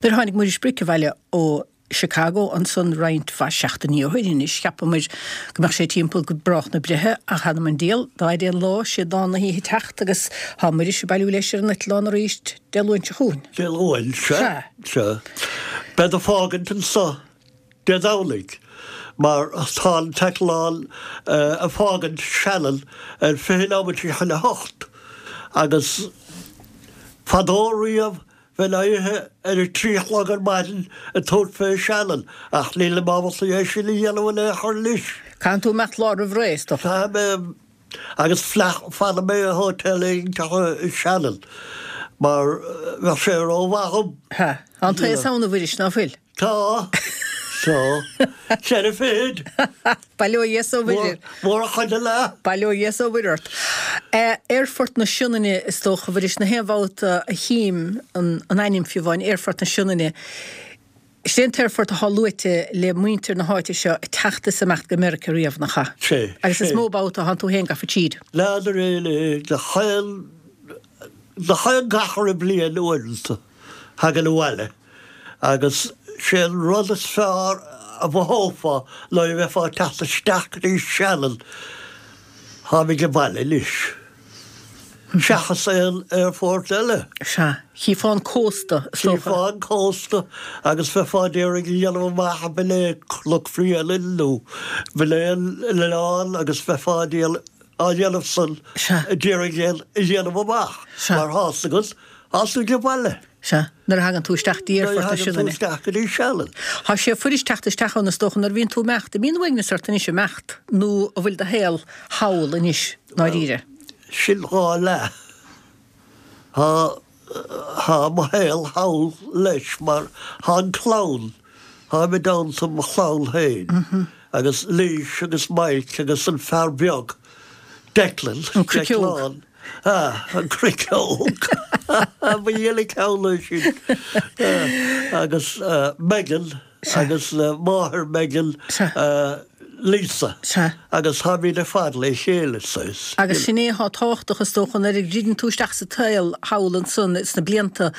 Nuair a tháinig Muiris Bric abhaile ó Chicago ansan roinnt mhaith seachtainí ó shoin anois, cheapamair go mbeadh sé timpeall go brách na breithe, ach th'anam 'on diabhal, dá fhaide an lá, sé dán na hoíche teacht agus thá Muiris ag bailiú leis ar an eitleán arís Dé Luain seo chugainn. Dé Luain, sea, sea. Bead ag fágaint anso Dé Domhnaigh mar tá an t-eitleán ag fágaint Shannon ar 20 neomat chun a hocht agus fadó riamh Bheinn éirithe ar a 3 a chlog ar maidin ag tabhairt fé Shannon ach nílim ábalta é sin a dhéanamh in aon chor anois. Caithfidh tú imeacht lá roimh ré, is dócha. Caithfidh mé agus fanfaidh mé i hotel éigin i Shannon mar bheadh sé rómhaith dhom. Tá an t-aos ann, a Mhuiris, ná fuil? Tá. Tá. Ceithre fichid. Bail ó Dhia 's ó Mhuire. Mór a chuid leath. Bail ó Dhia 's ó Mhuire ort. Aerfort na Sionainne is dócha, a Mhuiris, na haon bhabhta a chím an ainm fiú amháin, Aerfort na Sionainne, Is é an t-aerfort athá luaite le muintir na háite seo ag teacht is imeacht go Meiriceá riamh, nach ea? Sé. Agus is mó babhta athánn tú féin gafa tríd. N'fheadar é gach aon, gach aon gach re bliain uaireanta thagann abhaile. Agus sé an rud is fearr a mhothófá nuair a bheifeá ag teacht isteach go dtí Shannon, táimid abhaile anois. Seachas aon aerfort eile. Sea. Chífeá an cósta, is dócha. Chífeá an cósta agus bheifeá ag iarraidh a dhéanamh amach an b'in é Cnoc Bhréanainn nó b'in é an oileán agus bheifeá á dhéanamh san, ag iarraidh a dhéanamh amach mar tá's agat, tá tú ag baile. Sea, nuair a thagann tú isteach dtí Aerfort na Sionainne. Nuair a thagann tú isteach go dtí Shannon. Tá sé fuirist teacht isteach ann is dócha nuair a bhíonn tú ag imeacht. An mbíonn uaigneas ort anois ag imeacht nó an bhfuil do shaol thall anois ndáiríre? Sin dhá leath. Tá, tá mo shaol thall leis mar tá an clann, táim i dteannta mo chlann féin agus Laoise agus Mike agus an fear beag Declan, An cruiceog. Ah, an cruiceog! Ba dhil an ceann é sin. Agus Megan agus máthair Megan, Lisa. Agus táimid ar fad le chéile, saghas. Agus sin é atá tábhachtach, is dócha, nuair a dhruideann tú isteach sa tsaol thall ansan sna blianta,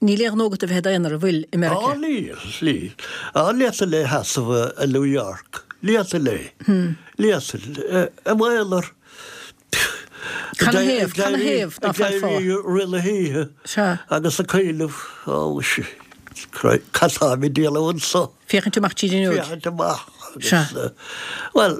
níl aon ghnó agat a bheith i d'aonar, an bhfuil, i Meiriceá? Á, níl, níl. Á, ní fhéadfainn é a sheasamh i New York. Ní fhéadfainn é. Ní fhéadfainn. I m'aonar. Canathaobh, canathaobh ná feadfá? Ag éirí rith na hoíche agus ag cuimhneamh, ó, cad táim ag déanamh anso? Féachaint amach tríd an fhuinneog. Féachaint amach agus, bhuel,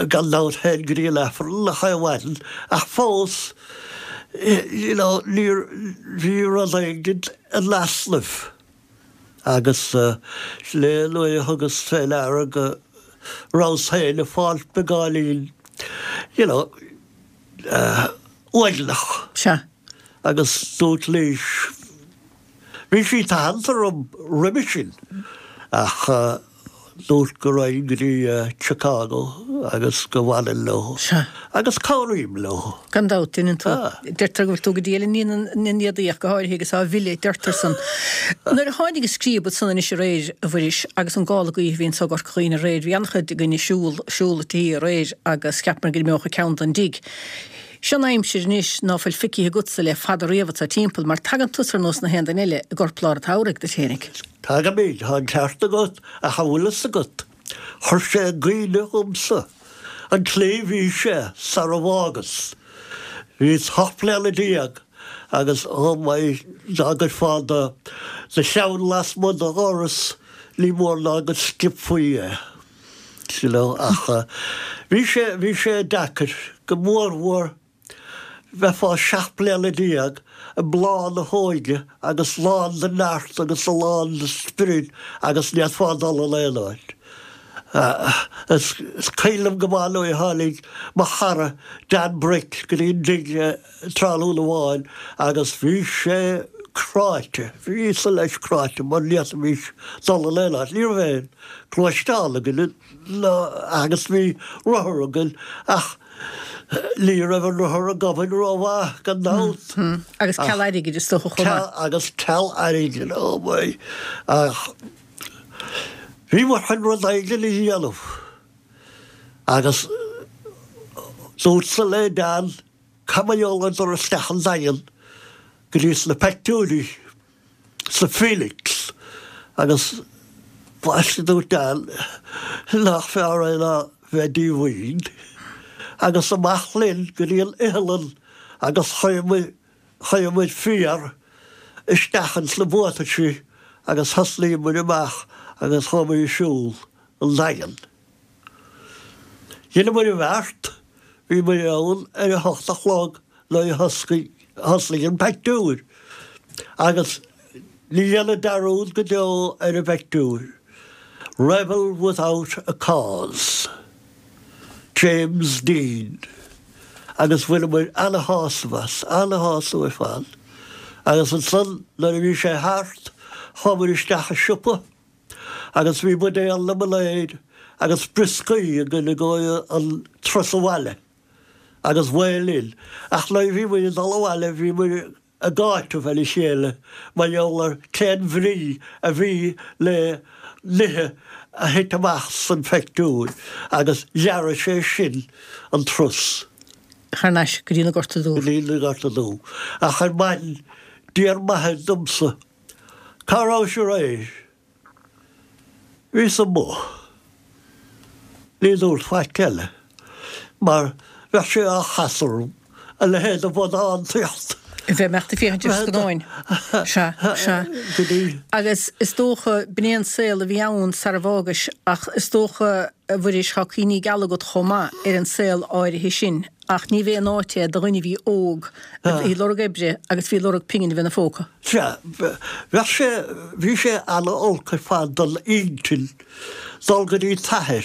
gan dabht théinn go dtí an Aifreann chaon mhaidin ach fós, you know, níor, bhí rud éigin in easnamh. Agus sin é nuair a thugas fé ndeara go rabhas féin ag fáil beagáinín, you know, uaigneach. Sea. Agus dúirt Laoise, bhí sí tathantach orm roimhe sin, ach dúirt go raghainn go dtí Chicago agus go bhfanfainn leo. Sea. Agus cabhraím leo. Gan dabht, deineann tú. Deirtear go bhfuil tú go diail i ndiaidh na n-éadaí ach go háirithe agus á mhilleadh, deirtear san. Nuair a tháinig an scríob ansan anois aréir, a Mhuiris, agus an gála gaoithe a bhí anso i gCorca Dhuibhne aréir, bhí an-chuid againn ag siúl, siúl an tí aréir agus cheapamar go n-imeodh an ceann den dtigh. Seo an aimsir anois ná fuil feicthe agatsa le fada riamh anso timpeall, mar tagann tusa ar nós na haon duine eile i gcorplár an tsamhraidh duit fhéinig. Tagaimid, tá an ceart agat, ach an bhfuil fhios agat, chuir sé i gcuimhne dhomsa an tslí a bhí sé sara bhfágas. Bhíos 18 bliana agus oh my, dá gcuirfeá do cheann lasmuigh de dhoras ní mór ná go sciobfaí é, you know, ach bhí sé, bhí sé deacair, go mórmhór. Bheifeá 17 bliana i mbláth na hóige agus lán de neart agus lán de spiorad agus ní fhéadfá dul in aon áit. Is cuimhin liom go maith nuair a tháinig mo chara Dan Brick go dtí an dtigh tráthnóna amháin agus bhí sé cráite, bhí mise leis cráite mar ní fhéadfaimis dul in aon áit. Ní raibh aon ghluaisteán againn agus bhí rothar againn ach Ní raibh an rothar ag obair rómhaith, gan dabht. Agus ceal airgid, is dócha, chomh maith. Agus ceal airgid, oh my. Ach bhíomar chun rud éigin a dhéanamh. Agus dúrtsa le Dan, cad mar gheall ar dul isteach an Daingean go dtí sna peictiúirí, sa Phoenix. Agus baiste dúirt Dan nach fearr é ná bheith díomhaoin. Agus amach linn go dtí an iothlainn agus chuir muid féar isteach ins na buataisí agus thosnaigh muid amach agus chuaigh muid ag siúl an Daingean. Dheineamair an bheart, bhí muid ann ar a hocht a chlog nuair a thosnaigh an peictiúr agus ní dhéanfainn dearúd go deo ar an bpeictiúr, Rebel Without a Cause, James Dean agus bhaineamair ana-shásamh as, ana-shásamh ar fad. Agus ansan nuair a bhí sé thart chuamair isteach i siopa agus bhí buidéal liomanáid agus brioscaí againn i gcomhair an turas abhaile agus mhaith linn. Ach nuair a bhí muid ag dul abhaile bhí muid ag áiteamh ar a chéile mar gheall ar cén bhrí a bhí le nithe a thit amach san pheictiúr agus ghearraigh sé sin an turas. Thar n-ais go dtí na Gorta Dubh. Go dtí na Gorta Dubh. Ach ar maidin d'iarr m'athair domsa Cá rabhais aréir? Bhíos amuigh. Ní dúrt faic eile, mar bheadh sé á chasadh orm, a leithéid de bhodántaíocht. A bheith ag imeacht ag féachaint ar scannáin. Sea, sea. Go dtí. Agus is dócha, b'in é an saol a bhí ann sara bhfágais, ach is dócha, a Mhuiris, tá cuimhní geala agat chomh maith ar an saol áirithe sin. Ach ní bhé an áit é do dhuine a bhí óg, a bhí ag lorg oibre agus a bhí ag lorg pingin a bheith ina phóca. Sea, bheadh sé, bhí sé ana-olc ar fad don intinn dul go dtí t'athair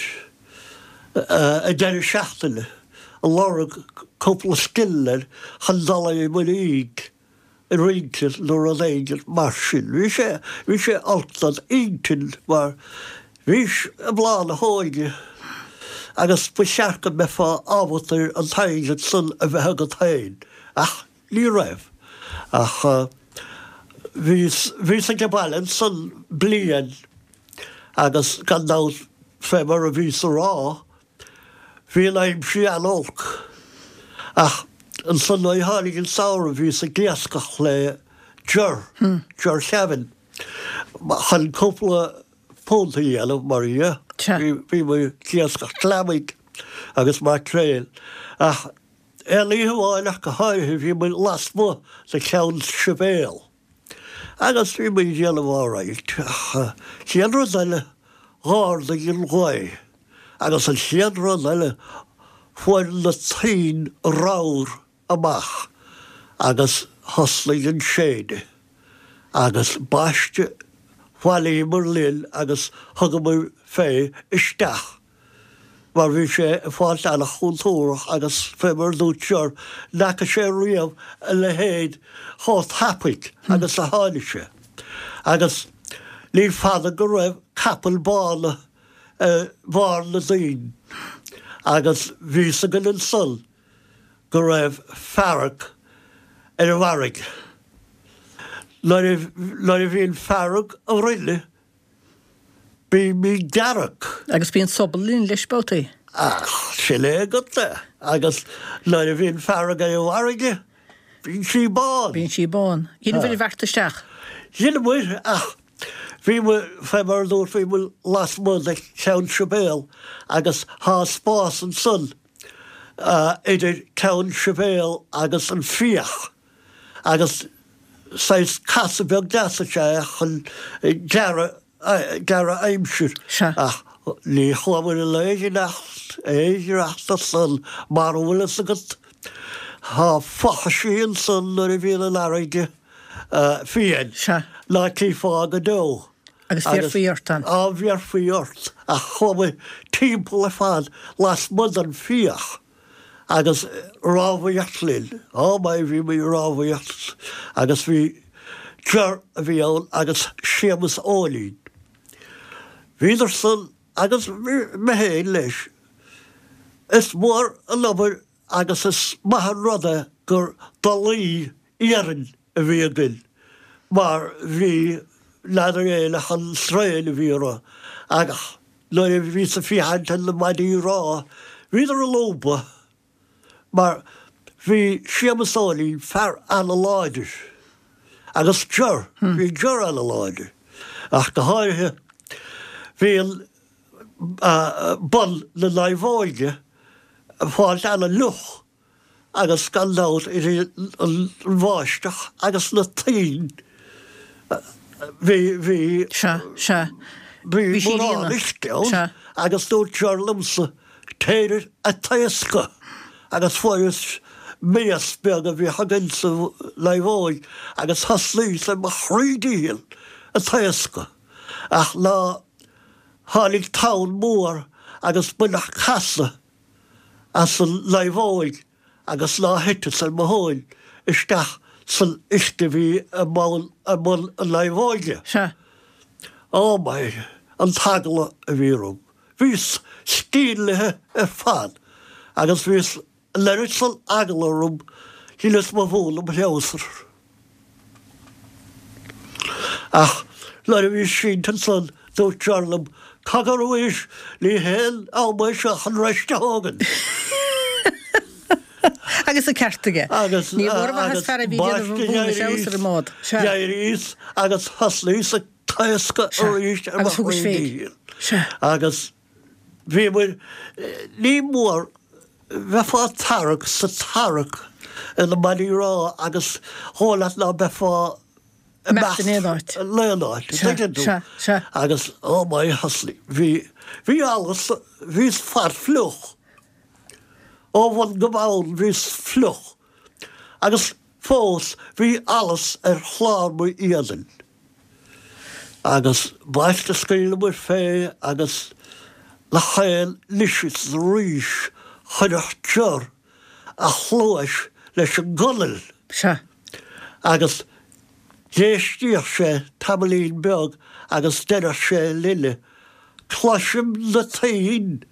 ag deireadh seachtaine ag lorg cúpla scilling chun dul ar an muirín. rince nó rud éigin mar sin. Bhí sé, bhí sé olc don intinn mar bhís i mbláth na hóige agus ba cheart go mbeifeá ábalta ar an t-airgead san a bheith agat féin ach ní raibh. Ach bhíos, bhíos age baile ansan bliain agus gan dabht fé mar a bhíos a rá, Bhí an aimsir an-olc, ach ansan nuair a tháinig an samhradh bhíos ag iascach le Ger, Ger Kevin, chun cúpla punt a dhéanamh, mar dhea. Bhí muid ag iascach gliomaigh agus maicréil. Ach aon oíche amháin ach go háirithe bhí muid lasmuigh de Cheann Sibéal. Agus bhí muid ag déanamh alright ach chéad rud eile dh'ardaigh an ghaoth agus an chéad rud eile fuair na toinn ramhar amach agus thosnaigh an séideadh agus baiste bhailíomar linn agus thugamar fé isteach mar bhí sé ag fáilt an-chontúrach agus fé mar a dúirt Ger, n'fheaca sé riamh a leithéid chomh tapaidh agus a tháinig sé. Agus ní fada go raibh capaill bána ar bharr na dtoinn agus bhí 'fhios againn ansan go raibh fearg ar an bhfarraige. Nuair a bhíonn fearg orainne Bímid dearg. Agus bíonn sobal linn leis babhtaí. Ach sin é agat é. Agus nuair a bhíonn fearg ar an bhfarraige, bíonn sí bán. Bíonn sí bán. Dheineabhair an bheart isteach? Dheineamair, ach bhí muid, fé mar a dúrt, bhí muid lasmuigh de Cheann Sibéal agus thá spás ansan idir Ceann Sibéal agus an Fiach. Agus saghas casadh beag deas is ea é chun gearradh gearradh aimsir. Sea. Ach ní chuamar in aon iarracht aon iarracht ansan mara bhfuil fhios agat. Tá fochaisí ansan nuair a bhíonn an fharraige fiain. Sea. Ná cífeá go deo. Agus bhéarfaí ort ann. Á bhéarfaí ort. Ach chuamar timpeall ar fad lasmuigh den fiach. Agus rámhaíocht linn. Oh my, bhí muid ag rámhaíocht agus bhí Ger a bhí ann agus Séamus Eoinín. Bhíodar san agus mé féin leis. Is mór an obair agus is maith an rud é gur dolaí iarainn a bhí againn mar bhí n'fheadar éin ach an sraon a bhí orthu ach Nuair a bhíos ag féachaint ar na maidí rámha, bhíodar ag lúbadh mar bhí Séamus Eoinín fear ana-láidir agus Ger, bhí Ger ana-láidir. Ach go háirithe, bhí an bun na naomhóige ag fáilt ana-fhliuch agus gan dabht idir an bháisteach agus na toinn bhí, bhí, Sea, sea. bhí mórán uisce ann agus dúirt Ger liomsa, Téir a' taoscadh agus fuaireas mias beag a bhíodh againn sa naomhóig agus thosnaíos ar mo thrí dícheall a' taoscadh ach ná tháinig tonn mór agus baineadh casadh as an naomhóig agus ná thiteas ar mo thóin isteach san uisce a bhí i mbun na naomhóige. Sea. Ó my, an t-eagla a bhí orm. Bhíos stílithe ar fad agus bhíos an oiread san eagla orm shíleas mo mhún im threabhsar. Ach nuair a bhíos sínte ansan dúirt Ger liom, Cogar a Mhuiris, ní haon am é seo chun rest a thógaint. Agus an ceart aige. Agus Ní mór maitheas fear a bhí ag déanamh an mhún threabhsar i mbád. Sea. D'éiríos agus thosnaíos ag taoscadh arís ar mo Agus thugais thrí féin. dícheall. Sea. Agus bhíomair, ní mór, bheifeá ag tarrac 's ag tarrac ar na maidí rámha agus dhóigh leat ná beifeá ag imeacht in aon áit. In aon áit, Sea, tuigeann tú. sea, sea. Agus, oh my, thosnaigh, bhí, bhí allas, bhíos fad fliuch. Ó bhun go bonn bhíos fliuch. Agus fós bhí allas ar chlár m'éadain. Agus b'ait a scaoileamair fé agus nach aon anois is arís chuirfeadh Ger a chluais leis an gconail. Sea. Agus d'éistíodh sé tamaillín beag agus deireadh sé linne, Cloisim na toinn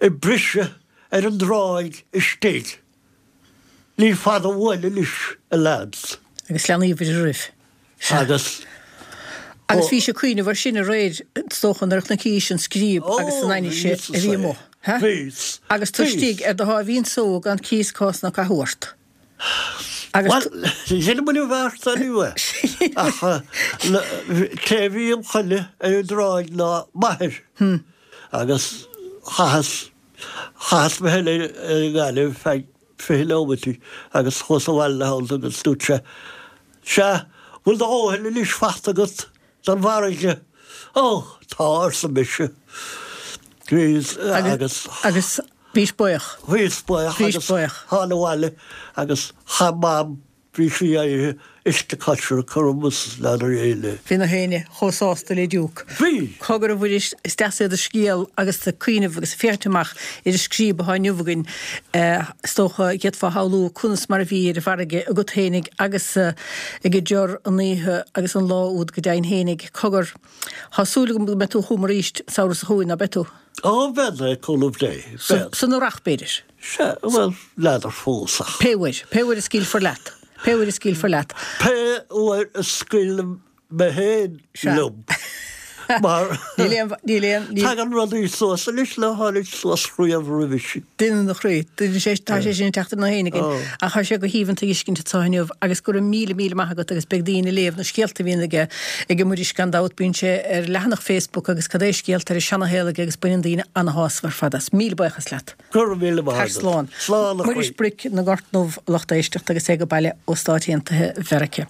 ag briseadh ar an dtráigh istigh. Ní fada uainn anois, a leaids. Agus leanaíobhair oraibh. Sea. Agus. Agus bhís ag cuimhneamh air sin aréir, is dócha, nuair a chonacís an scríob agus an ainnise a bhí amuigh. Ó, bhíos. Agus tú istigh ar do sháimhín só gan cíos cás ná cathú ort. Agus. Bhuel, dheineamair an bheart anyway. Ach cé a bhí im choinne ar an dtráigh ná m'athair. Agus chaitheas. Chaitheas mé féin ar an ngaineamh feadh 20 neomaití agus chuas abhaile ina theannta agus dúirt sé, Sea, bhfuil do dhóthain anois fachta agat don bhfarraige? Ó, tá, arsa mise. Bhíos agus. Agus bhís buíoch. Bhíos buíoch agus thána abhaile agus chaith Mam Bhí sí éirithe uisce coisricthe orm is n'fheadar éile. Bhí na héinne chomh sásta le diúc. Bhí! Cogar a Mhuiris, is deas é do scéal agus tú ag cuimhneamh agus ag féachaint amach ar an scríob atá inniu againn. Is dócha, d'fhéadfá a shamhlú conas mar a bhí ar an bhfarraige agat fhéinig agus ag Ger an oíche agus an lá úd go deimhin fhéinig. Cogar, tá súil agam go mbeidh tú chugam arís an samhradh seo chugainn, ná beidh tú? Ó, bead, le cúnamh Dé, bead. San earrach, b'fhéidir. Sea, bhuel, n'fheadar fós ach. Pé uair, pé uair a scaoilfear leat, pé uair a scaoilfear leat. Pé uair a scaoilim mé féin liom, mar. Níl aon, níl aon, níl. Tagann rudaí suas anois nár tháinig suas riamh roimhe sin. Duine na chroí, duine sé, tá sé sin ag teacht ina fhéin againn. Ach tá sé go haoibhinn tuiscint anseo inniu agus go raibh míle, míle maith agat agus beidh daoine ag léamh na scéalta a bhíonn aige, ag Muiris gan dabht, bíonn sé ar leathanach Facebook agus cad é scéalta ar an seanashaol aige agus baineann daoine ana-shásamh ar fad as. Míle buíochas leat. Go raibh míle maith agat. Slán. Slán a chroí. Muiris Bric na nGort nDubh, a lucht éisteachta agus é ag baile ó Stáit Aontaithe Mheiriceá.